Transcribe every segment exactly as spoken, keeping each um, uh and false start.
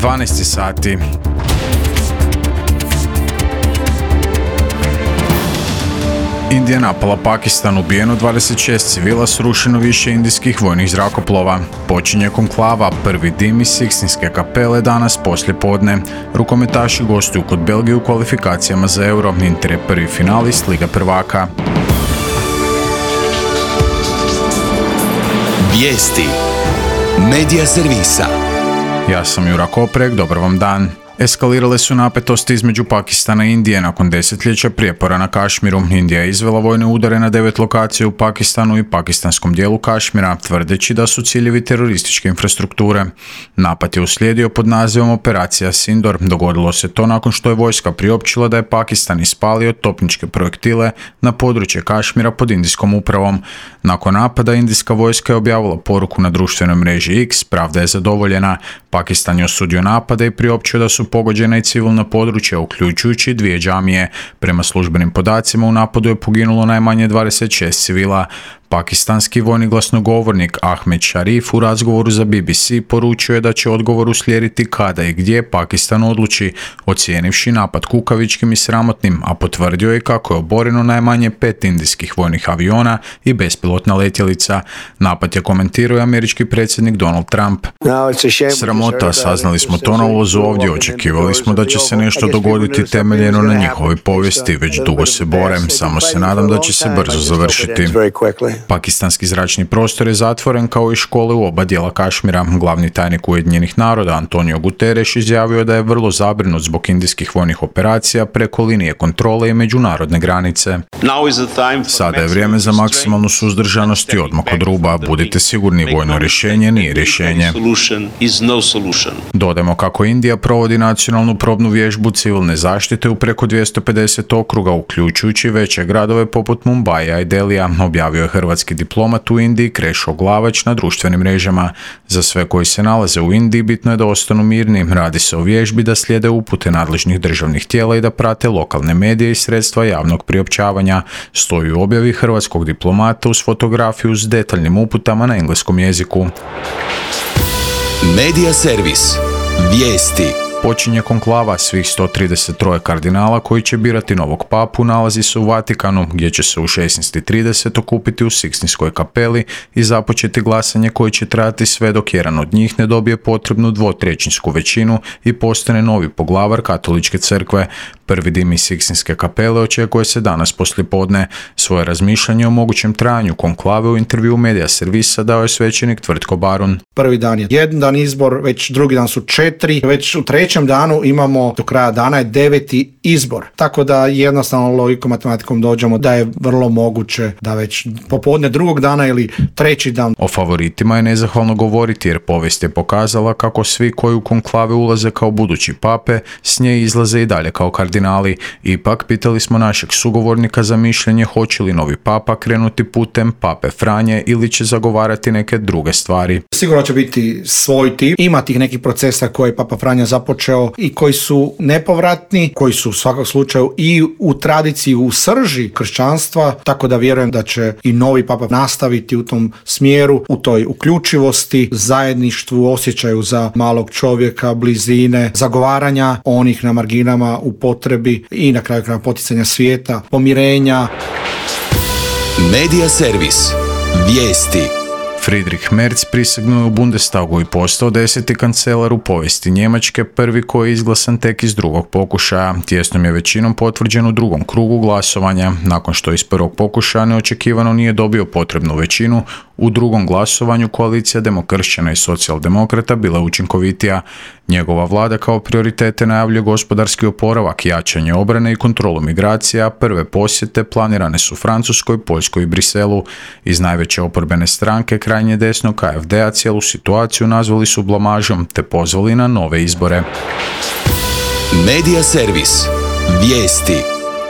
dvanaest sati. Indija napala Pakistan, ubijeno dvadeset šest civila, srušeno više indijskih vojnih zrakoplova. Počinje konklava, prvi dim iz Sikstinske kapele danas poslje podne. Rukometaši gostuju kod Belgije u kvalifikacijama za Euro. Inter je prvi finalist Liga prvaka. Vijesti Medija servisa. Ja sam Jura Koprek, dobar vam dan. Eskalirale su napetosti između Pakistana i Indije nakon desetljeća prijepora na Kašmiru. Indija je izvela vojne udare na devet lokacija u Pakistanu i pakistanskom dijelu Kašmira, tvrdeći da su ciljevi terorističke infrastrukture. Napad je uslijedio pod nazivom Operacija Sindor. Dogodilo se to nakon što je vojska priopćila da je Pakistan ispalio topničke projektile na područje Kašmira pod indijskom upravom. Nakon napada, indijska vojska je objavila poruku na društvenoj mreži X, pravda je zadovoljena. Pakistan je osudio napade i priopćio da su pogođena i civilna područja, uključujući dvije džamije. Prema službenim podacima u napadu je poginulo najmanje dvadeset šest civila. Pakistanski vojni glasnogovornik Ahmed Sharif u razgovoru za B B C poručio je da će odgovor uslijediti kada i gdje Pakistan odluči, ocijenivši napad kukavičkim i sramotnim, a potvrdio je kako je oboreno najmanje pet indijskih vojnih aviona i bespilotna letjelica. Napad je komentirao američki predsjednik Donald Trump. Sramota, saznali smo to na ulazu ovdje, očekivali smo da će se nešto dogoditi temeljeno na njihovoj povijesti, već dugo se borem, samo se nadam da će se brzo završiti. Pakistanski zračni prostor je zatvoren kao i škole u oba dijela Kašmira. Glavni tajnik Ujedinjenih naroda Antonio Guterres izjavio da je vrlo zabrinut zbog indijskih vojnih operacija preko linije kontrole i međunarodne granice. Sada je vrijeme za maksimalnu suzdržanost i odmak od ruba. Budite sigurni, vojno rješenje nije rješenje. Dodajmo kako Indija provodi nacionalnu probnu vježbu civilne zaštite u preko dvjesto pedeset okruga, uključujući veće gradove poput Mumbaija i Delija, objavio je hrvatski diplomat u Indiji Krešo Glavać na društvenim mrežama. Za sve koji se nalaze u Indiji bitno je da ostanu mirni. Radi se o vježbi da slijede upute nadležnih državnih tijela i da prate lokalne medije i sredstva javnog priopćavanja. Stoji u objavi hrvatskog diplomata uz fotografiju s detaljnim uputama na engleskom jeziku. Medija servis. Vijesti. Počinje konklava svih sto trideset tri kardinala koji će birati novog papu, nalazi se u Vatikanu, gdje će se u šesnaest i trideset okupiti u Sikstinskoj kapeli i započeti glasanje koje će trajati sve dok jedan od njih ne dobije potrebnu dvotrećinsku većinu i postane novi poglavar katoličke crkve. Prvi dim iz Sikstinske kapele očekuje se danas poslijepodne. Svoje razmišljanje o mogućem trajanju konklave u intervju Medija servisa dao je svećenik Tvrtko Barun. Prvi dan je jedan dan izbor, već drugi dan su četiri, već u trećem danu imamo do kraja dana je deveti izbor. Tako da jednostavno logikom matematikom dođemo da je vrlo moguće da već popodne drugog dana ili treći dan. O favoritima je nezahvalno govoriti jer povijest je pokazala kako svi koji u konklave ulaze kao budući pape s nje izlaze i dalje kao kardinali. Ipak pitali smo našeg sugovornika za mišljenje hoće li novi papa krenuti putem pape Franje ili će zagovarati neke druge stvari. Sigurno će biti svoj tip. Ima tih nekih procesa koje je papa Franja započeo i koji su nepovratni, koji su u svakom slučaju i u tradiciji, u srži kršćanstva, tako da vjerujem da će i novi papa nastaviti u tom smjeru, u toj uključivosti, zajedništvu, osjećaju za malog čovjeka, blizine, zagovaranja onih na marginama u potrebi i na kraju kraja poticanja svijeta, pomirenja. Medija servis. Vijesti. Friedrich Merz prisegnuo je u Bundestagu i postao deseti kancelar u povijesti Njemačke, prvi koji je izglasan tek iz drugog pokušaja. Tijesnom je većinom potvrđen u drugom krugu glasovanja. Nakon što iz prvog pokušaja neočekivano nije dobio potrebnu većinu, u drugom glasovanju koalicija demokršćana i socijaldemokrata bila učinkovitija. Njegova vlada kao prioritete najavljuje gospodarski oporavak, jačanje obrane i kontrolu migracija. Prve posjete planirane su Francuskoj, Poljskoj i Briselu. Iz najveće oporbene stranke krajnje desno K F D-a cijelu situaciju nazvali su blamažom te pozvali na nove izbore. Medija servis. Vijesti.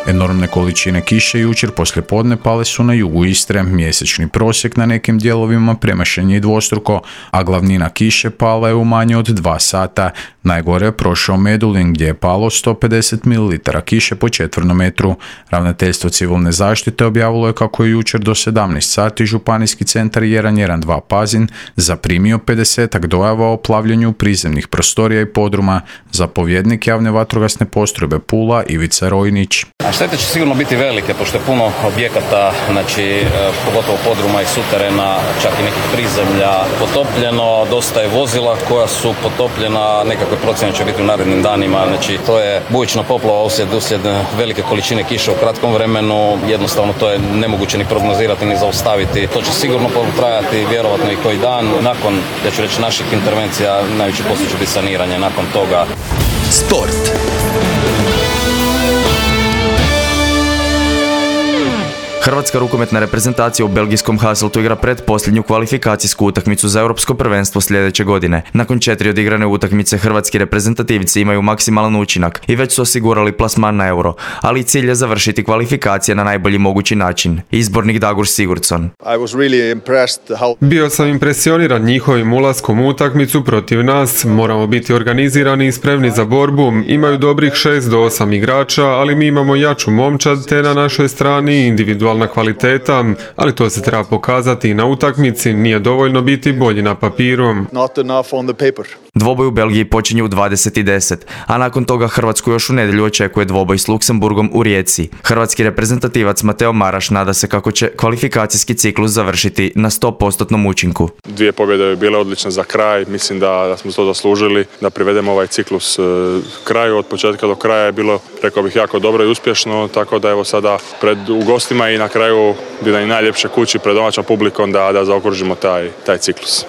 Enormne količine kiše jučer poslijepodne pale su na jugu Istre, mjesečni prosjek na nekim dijelovima premašen je dvostruko, a glavnina kiše pala je u manje od dva sata. Najgore je prošao Medulin gdje je palo sto pedeset mililitara kiše po četvrnom metru. Ravnateljstvo civilne zaštite objavilo je kako je jučer do sedamnaest sati županijski centar jedan jedan dva Pazin zaprimio pedesetak dojava o plavljenju prizemnih prostorija i podruma. Zapovjednik javne vatrogasne postrojbe Pula Ivica Rojnić. A štete će sigurno biti velike, pošto je puno objekata, znači pogotovo podruma i suterena, čak i nekih prizemlja potopljeno, dosta je vozila koja su potopljena, nekakve procjene će biti u narednim danima, znači to je bujična poplava uslijed, uslijed velike količine kiše u kratkom vremenu, jednostavno to je nemoguće ni prognozirati ni zaustaviti. To će sigurno potrajati vjerovatno i koji dan. Nakon, ja ću reći, naših intervencija najveći posao će biti saniranje nakon toga. Sport. Hrvatska rukometna reprezentacija u belgijskom Hasseltu igra pred posljednju kvalifikacijsku utakmicu za europsko prvenstvo sljedeće godine. Nakon četiri odigrane utakmice hrvatski reprezentativci imaju maksimalan učinak i već su osigurali plasman na euro, ali cilj je završiti kvalifikacije na najbolji mogući način. Izbornik Dagur Sigurdsson. Bio sam impresioniran njihovim ulaskom u utakmicu protiv nas. Moramo biti organizirani i spremni za borbu. Imaju dobrih šest do osam igrača, ali mi imamo jaču momčad te na našoj strani individualna kvaliteta, ali to se treba pokazati i na utakmici, nije dovoljno biti bolji na papiru. Dvoboj u Belgiji počinje u dvadeset i deset, a nakon toga Hrvatsku još u nedjelju očekuje dvoboj s Luksemburgom u Rijeci. Hrvatski reprezentativac Mateo Maraš nada se kako će kvalifikacijski ciklus završiti na sto posto učinku. Dvije pobjede je bile odlične za kraj, mislim da, da smo to zaslužili, da privedemo ovaj ciklus e, kraju. Od početka do kraja je bilo, rekao bih, jako dobro i uspješno, tako da evo sada pred u gostima i na kraju bi da i najljepše kući pred domaćom publikom da, da zaokružimo taj, taj ciklus.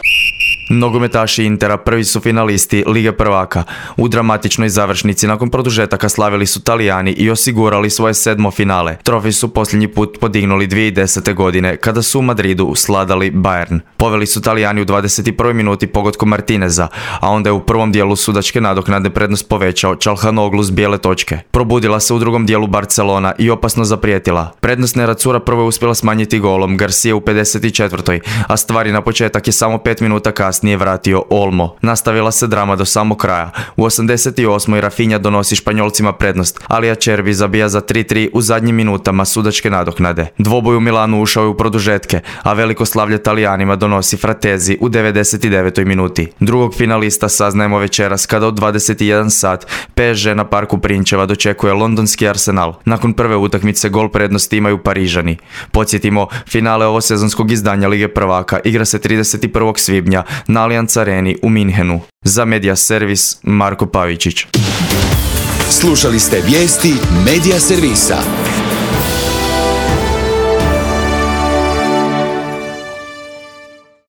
Nogometaši Intera prvi su finalisti Lige prvaka. U dramatičnoj završnici nakon produžetaka slavili su Talijani i osigurali svoje sedmo finale. Trofej su posljednji put podignuli dvije tisuće desete. godine kada su u Madridu sladali Bayern. Poveli su Talijani u dvadeset prvoj minuti pogodkom Martineza, a onda je u prvom dijelu sudačke nadoknade prednost povećao Çalhanoğlu s bijele točke. Probudila se u drugom dijelu Barcelona i opasno zaprijetila. Prednost Neracura prvo je uspjela smanjiti golom Garcia u pedeset četvrtoj. a stvari na početak je samo pet minuta kasnije nije vratio Olmo. Nastavila se drama do samog kraja. U osamdeset osmoj Rafinha donosi Španjolcima prednost, ali Acerbi zabija za tri tri u zadnjim minutama sudačke nadoknade. Dvoboj u Milanu ušao je u produžetke, a veliko slavlje Talijanima donosi Fratezi u devedeset devetoj minuti. Drugog finalista saznajemo večeras kada od dvadeset jedan sat P S G na parku Prinčeva dočekuje londonski Arsenal. Nakon prve utakmice gol prednosti imaju Parižani. Podsjetimo, finale ovosezonskog izdanja Lige prvaka igra se trideset prvog svibnja na Allianz Areni u Minhenu. Za Media Servis Marko Pavičić. Slušali ste vijesti Media Servisa.